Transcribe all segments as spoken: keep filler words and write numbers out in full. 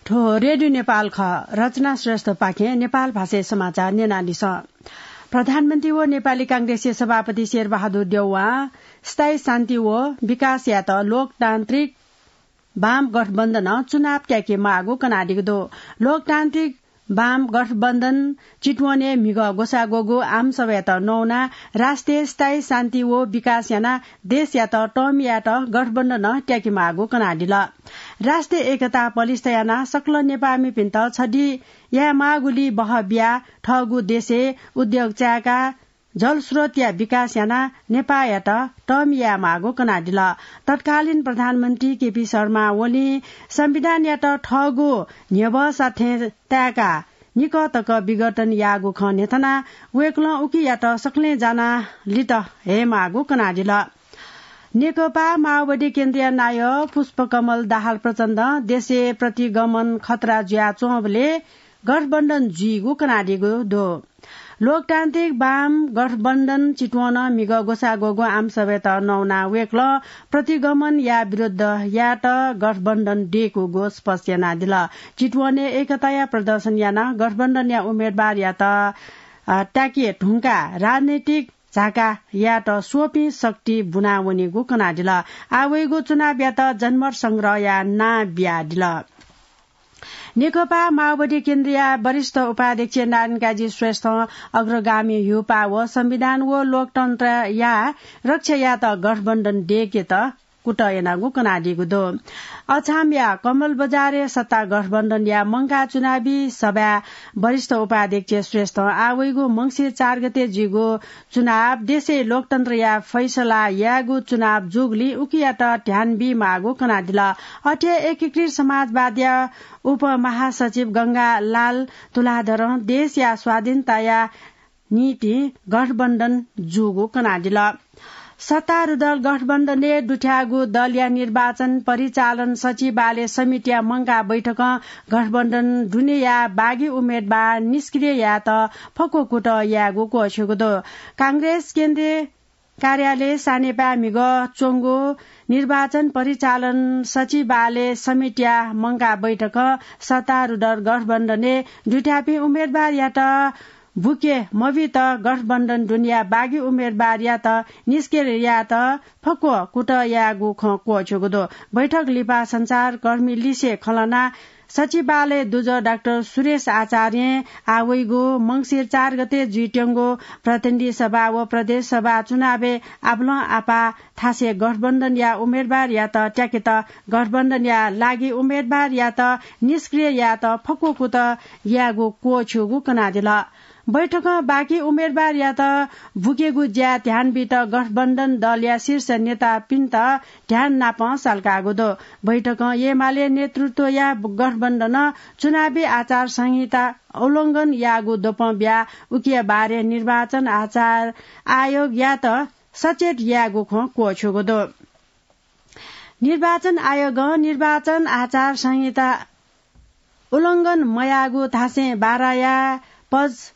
थ्व रेडियो नेपाल खः। रचना श्रेष्ठपाखें नेपाल भाषाय् समाचार न्यनादिसँ। प्रधानमन्त्री व नेपाली कांग्रेसया सभापति शेरबहादुर देउवां स्थायी शान्ति व विकास यायेत लोकतान्त्रिक वाम गठबन्धनं चुनाव त्याके माःगु कनादीगु दु। लोकतान्त्रिक वाम गठबन्धन चितवनय् म्हिगः ग्वसाः ग्वःगु आमसभायात नवानाः राष्ट्रिय स्थायी शान्ति व विकास यानाः देशयात तःमि यायेत गठबन्धनं त्याके माःगु कनादिल। राष्ट्रिय एकता पलिस्था यानाः सकल नेपाःमिपिन्त छधी याये माःगुलिइ बहः बियाः थःगु देशय् उद्योग चायेकाः जलस्रोतया विकास यानाः नेपाःयात तःमि याये माःगु कनादिल। तत्कालीन प्रधानमन्त्री केपी शर्मा ओलीं संविधानयात थःगु न्ह्यब्वःसा थें तायेकाः निकः तक विघटन याःगु खँ न्ह्यथनाः वय्कलं उकियात सकलें जानाः लित हये माःगु कनादिल। नेकपा माओवादी केन्द्रया नायः पुष्पकमल दाहाल प्रचण्डं देशय् प्रतिगमन खतरा जुयाच्वंबलय् गठबन्धन जुइगु कनादीगु दु। लोकतान्त्रिक वाम गठबन्धन चितवनं म्हिगः ग्वसाः ग्वःगु आमसभायात नवानाः वय्कलं प्रतिगमनया विरुद्ध यायेत गठबन्धन दय्कूगु स्पष्ट यानादिल। चितवनय् एकताया प्रदर्शन यानाः गठबन्धनया उम्मेदवारयात, अ, त्याके धुंकाः राजनैतिक झाका यायेत स्वपिं शक्ति बुना वनीगु कनादिल। आः वइगु चुनावयात जनमत संग्रहया नां बियादिल। नेकपा माओवादी केन्द्रया वरिष्ठ उपाध्यक्ष नारायणकाजी श्रेष्ठं अग्रगामी ह्युपा व संविधान व लोकतन्त्रया रक्षा यायेत गठबन्धन दय्केत कुतः यानागु कनादीगु दु। अछामया कमल बजारय् सत्ता गठबन्धनया मंकाः चुनावी सभाय् वरिष्ठ उपाध्यक्ष श्रेष्ठं आः वइगु मंसिर चार गते जुइगु चुनाव देशय् लोकतन्त्रया फैसला यायेगु चुनाव जूगुलिं उकियात ध्यान बी माःगु कनादिल। अथे एकीकृत समाजवादया उपमहासचिव गंगालाल तुलाधरं देशया स्वाधीनताया निंतिं गठबन्धन जूगु कनादिल। सत्तारूढ दल गठबन्धनय् दुथ्याःगु दलया निर्वाचन परिचालन सचिवालय समितिया मंकाः बैठकं गठबन्धन दुनेया बागी उम्मेदवार निष्क्रिय यायेत फक्व कुतः यायेगु क्वःछ्यूगु दु। कांग्रेस केन्द्रीय कार्यालय सानेपाय् म्हिगः च्वंगु निर्वाचन परिचालन सचिवालय समितिया मंकाः बैठकं सत्तारूढ गठबन्धनय् दुथ्याःपिं उम्मेदवारयात बुके मबीत गठबन्धन दुनेया बागी उम्मेदवारयात निष्क्रिय यायेत फक्व कुतः यायेगु खँ क्वःछ्यूगु दु। बैठक लिपा सञ्चारकर्मी लिसे खँ ल्हानाः सचिवालय दुजः डाक्टर सुरेश आचार्यं आः वइगु मंसिर चार गते जुइत्यंगु प्रतिनिधि सभा व प्रदेश सभा चुनावय् आपालं आपाः थासय् गठबन्धनया उम्मेदवारयात त्याकेत गठबन्धनया लागि उम्मेदवारयात निष्क्रिय यायेत फक्व कुतः यायेगु क्वःछ्यूगु कनादिल। बैठकं बाकी उम्मेदवारयात बुकेगु ज्याय् ध्यान बीत गठबन्धन दलया शीर्ष नेतापिन्त ध्यान नापं सल्काःगु दु। बैठकं एमाले नेतृत्वया गठबन्धनं चुनावी आचार संहिता उल्लंघन याःगु द्वपं बियाः उकिया बारे निर्वाचन आचार आयोगयात सचेत यायेगु खँ क्वःछ्यूगु दु। निर्वाचन आयोगं निर्वाचन आचार संहिता उल्लंघन मयाःगु धासें बाराया पज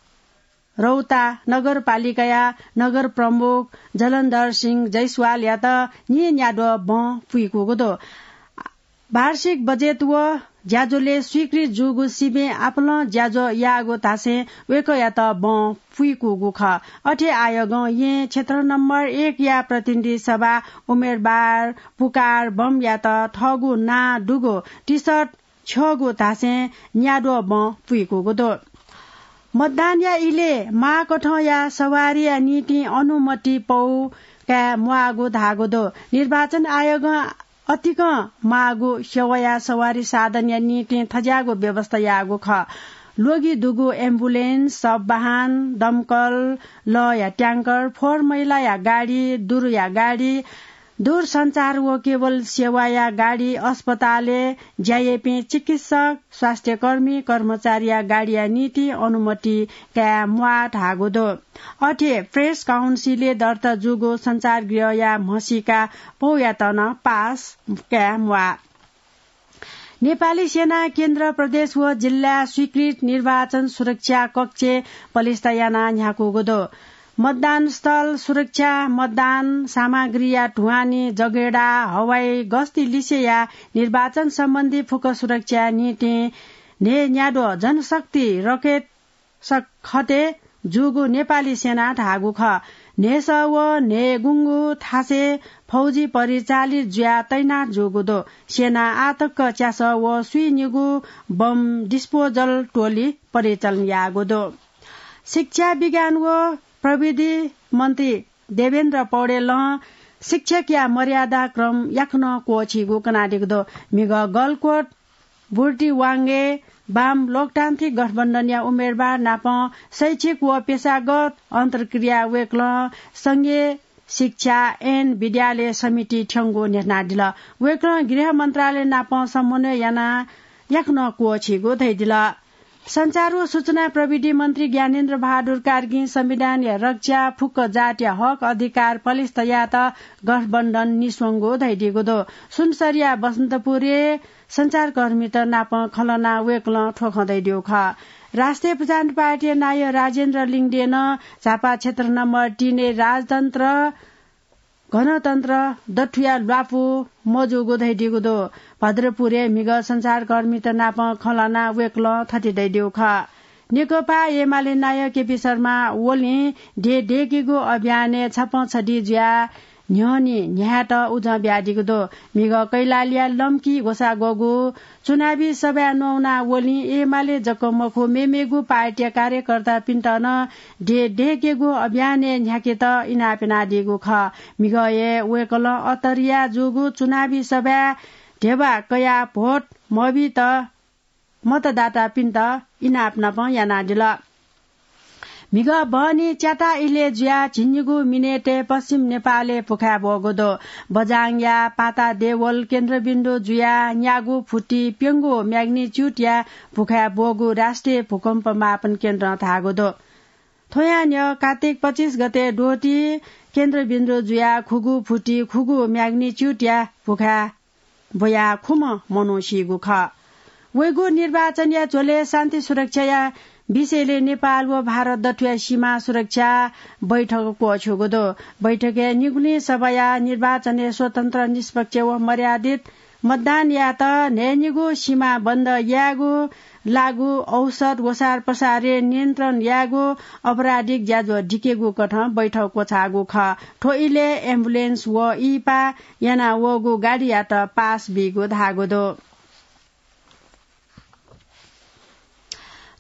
रौता नगरपालिकाया नगर प्रमुख जलन्धर सिंह जैसवालयात न्येन्याद्वः बँ पुइकूगु दु। वार्षिक बजेट व ज्याझ्वलय् स्वीकृत जूगु सिबें आपालं ज्याझ्वः याःगु धासें वय्कःयात बँ पुइकूगु खः। अथे आयोगं येँ क्षेत्र नम्बर एकया प्रतिनिधि सभा उम्मेदवार पुकार बमयात थःगु नां दुगु टिसर्ट छ्यःगु धासें न्याद्वः बँ पुइकूगु दु। मतदानया इलय् माःकथंया सवारीया निंतिं अनुमति पौ काये म्वाःगु धाःगु दु। निर्वाचन आयोगं अतिकं माःगु सेवाया सवारी साधनया निंतिं थज्याःगु व्यवस्था याःगु खः। ल्वगि दुगु एम्बुलेन्स, शववाहन, दमकल, लःया ट्याङ्कर, फोहोर मैलाया गाडी, दुरुया गाडी, दूरसञ्चार व केबल सेवाया गाडी, अस्पतालय् ज्या याइपिं चिकित्सक, स्वास्थ्यकर्मी, कर्मचारीया गाडीया निंतिं अनुमति काये म्वाः धाःगु दु। अथे प्रेस काउन्सिलय् दर्ता जूगु सञ्चारगृहया म्हसीका पौयात नं पास काये म्वाः। नेपाली सेनां केन्द्र, प्रदेश व जिल्लाय् स्वीकृत निर्वाचन सुरक्षा कक्ष पलिस्था यानाः न्ह्याकूगु दु। मतदान स्थल सुरक्षा, मतदान सामग्रीया ढुवानी, जगेडा, हवाई गस्ती लिसेया निर्वाचन सम्बन्धी फुक्क सुरक्षा निंतिं न्हय् न्याद्वः जनशक्ति रकेट सखते जूगु नेपाली सेना धाःगु खः। न्हय्‌सः व न्हय्‌गुंगु थासय् फौजी परिचालित जुयाः तैनात जूगु दु। सेना आःतक च्यासः व स्वीनिगू बम डिस्पोजल टोली परिचालन याःगु दु। शिक्षा, विज्ञान व प्रविधि मन्त्री देवेन्द्र पौडेलं शिक्षकया मर्यादा क्रम याकनं क्वःछीगु कनादीगु दु। म्हिगः गलकोट बुर्तिवाङ्गे वाम लोकतान्त्रिक गठबन्धनया उम्मेदवार नाप शैक्षिक व पेशागत अन्तर्क्रिया वय्‌कलं संघीय शिक्षा ऐन विद्यालय समिति थ्यंगु न्ह्यथनादिल। वय्‌कलं गृह मन्त्रालय नाप समन्वय यानाः याकनं क्वःछीगु धयादिल। सञ्चार व सूचना प्रविधि मन्त्री ज्ञानेन्द्र बहादुर कार्कीं संविधानया रक्षा, फुक्क जातया हक अधिकार पलिस्था यायेत गठबन्धन निस्वंगु धयादीगु दु। सुनसरीया बसन्तपुरय् सञ्चारकर्मीत नाप खँल्हानाः वय्‌कलं थ्व खँ धयादीगु खः। राष्ट्रिय प्रजातन्त्र पार्टीया नायः राजेन्द्र लिङदेनं झापा क्षेत्र नम्बर तीनय् राजतन्त्र गणतन्त्र दथुया ल्वापु मजूगु धयादीगु दु। भद्रपुरय् म्हिगः सञ्चारकर्मीत नाप खँल्हानाः वय्‌कलं थथे धयादीगु खः। नेकपा एमाले नायः केपी शर्मा ओलीं देय् देय्‌केगु अभियानय् छपं छधी जुयाः न्ह्यःने न्ह्यायेत उजं बियादीगु दु। म्हिगः कैलालीया लम्की ग्वसाः ग्वःगु चुनावी सभाय् न्ववाः ओलीं एमाले जक मखु, मेमेगु पार्टीया कार्यकर्तापिन्त नं देय् देय्‌केगु अभियानय् न्ह्याकेत इनाप यानादीगु खः। म्हिगः हे वय्‌कलं अत्तरिया जूगु चुनावी सभाय् ध्यबा कयाः भोट मबीत मतदातापिन्त इनाप नाप यानादिल। म्हिगः बहनी च्याता इलय् जुयाः झिंनिगू मिनेटय् पश्चिम नेपालय् भुखाय् ब्वःगु दु। बझाङया पाता देवल केन्द्रबिन्दु जुयाः न्यागू फुति प्यंगू म्याग्निच्युडया भुखाय् ब्वःगु राष्ट्रिय भूकम्प मापन केन्द्रं धाःगु दु। थ्वयां न्ह्यः कात्तिक पच्चिस गते द्वहति केन्द्रबिन्दु जुयाः खुगू फुति खुगू म्याग्निच्युडया भुखाय् ब्वयाः खुम्ह मनू सीगु खः। वइगु निर्वाचनया झ्वलय् शान्ति सुरक्षाया विषयलय् नेपाल व भारत दथुया सीमा सुरक्षा बैठक क्वःछ्यूगु दु। बैठकय् निगुलिं सभाया निर्वाचनय् स्वतन्त्र, निष्पक्ष व मर्यादित मतदान यायेत न्हय्‌निगू सीमा बन्द यायेगु लागू औषध ओसार पसारय् नियन्त्रण यायेगु आपराधिक ज्याझ्वः दिकेगु कथं बैठक क्वछाःगु खः। थ्व इलय् एम्बुलेन्स व इहिपा यानावःगु गाडीयात पास बीगु धाःगु दु।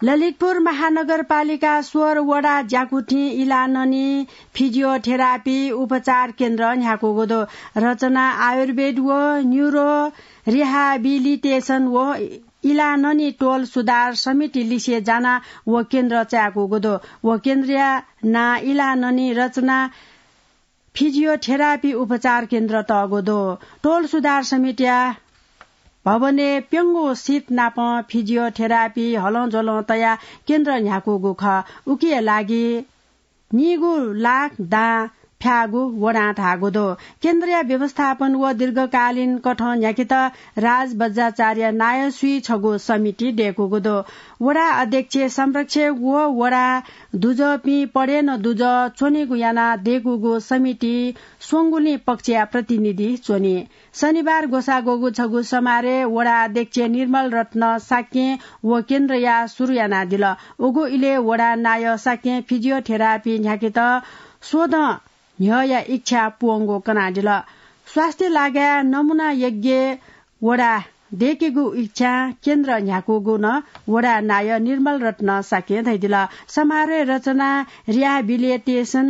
ललितपुर महानगरपालिका सोह्र वडा ज्याकुथिं इलाननी फिजियोथेरापी उपचार केन्द्र न्ह्याकूगु दु। रचना आयुर्वेद व न्युरो रिहाबिलिटेसन व इलाननी टोल सुधार समिति लिसे जानाः व केन्द्र चाय्‌कूगु दु। व केन्द्रया नां इलाननी रचना फिजियोथेरापी उपचार केन्द्र तःगु दु। टोल सुधार समितिया भवनय् प्यंगू सिट नाप फिजियोथेरापी हलंज्वलं तयाः केन्द्र न्ह्याकूगु खः। उकिया लागि नीगू लाख दां फ्याःगु वडां धाःगु दु। केन्द्रया व्यवस्थापन व दीर्घकालीन कथं न्ह्याकेत राज बज्राचार्य नायःसुइ छगू समिति दय्‌कूगु दु। वडा अध्यक्ष संरक्षक व वडा दुजःपिं पदेन दुजः च्वनेगु यानाः दय्‌कूगु समिति स्वंगुलिं पक्षया प्रतिनिधि च्वनी। शनिबार ग्वसाः ग्वःगु छगू समारोहय् वडा अध्यक्ष निर्मल रत्न शाक्यं व केन्द्रया सुरु यानादिल। उगु इलय् वडा नायः शाक्यं फिजियोथेरापी न्ह्याकेत स्वदँ न्ह्यःया इच्छा पूवंगु कनादिल। स्वास्थ्य लागाय् नमुना यज्ञ वडा दय्‌केगु इच्छां केन्द्र न्ह्याकूगु नं वडा नायः निर्मल रत्न शाक्यं धयादिल। समारोहय् रचना रिहाबिलिटेसन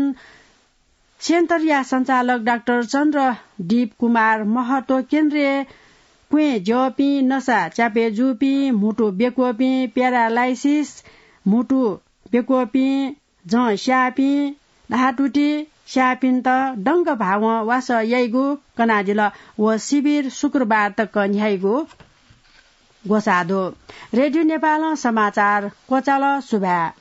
सेन्टरया सञ्चालक डाक्टर चन्द्रदीप कुमार महतो, केन्द्रय् क्वँय् ज्यःपिं, नसा च्यापय् जूपिं, म्हुतु बेक्वःपिं, प्यारालाइसिस, म्हुतु बेक्वःपिं, जं स्याःपिं, धातुति स्याःपिन्त दंक भावं वासः याइगु कनादिल। व शिविर शुक्रबार तक न्ह्याइगु ग्वसाः दु। रेडियो नेपालं समाचार क्वचाल। सुभाय्।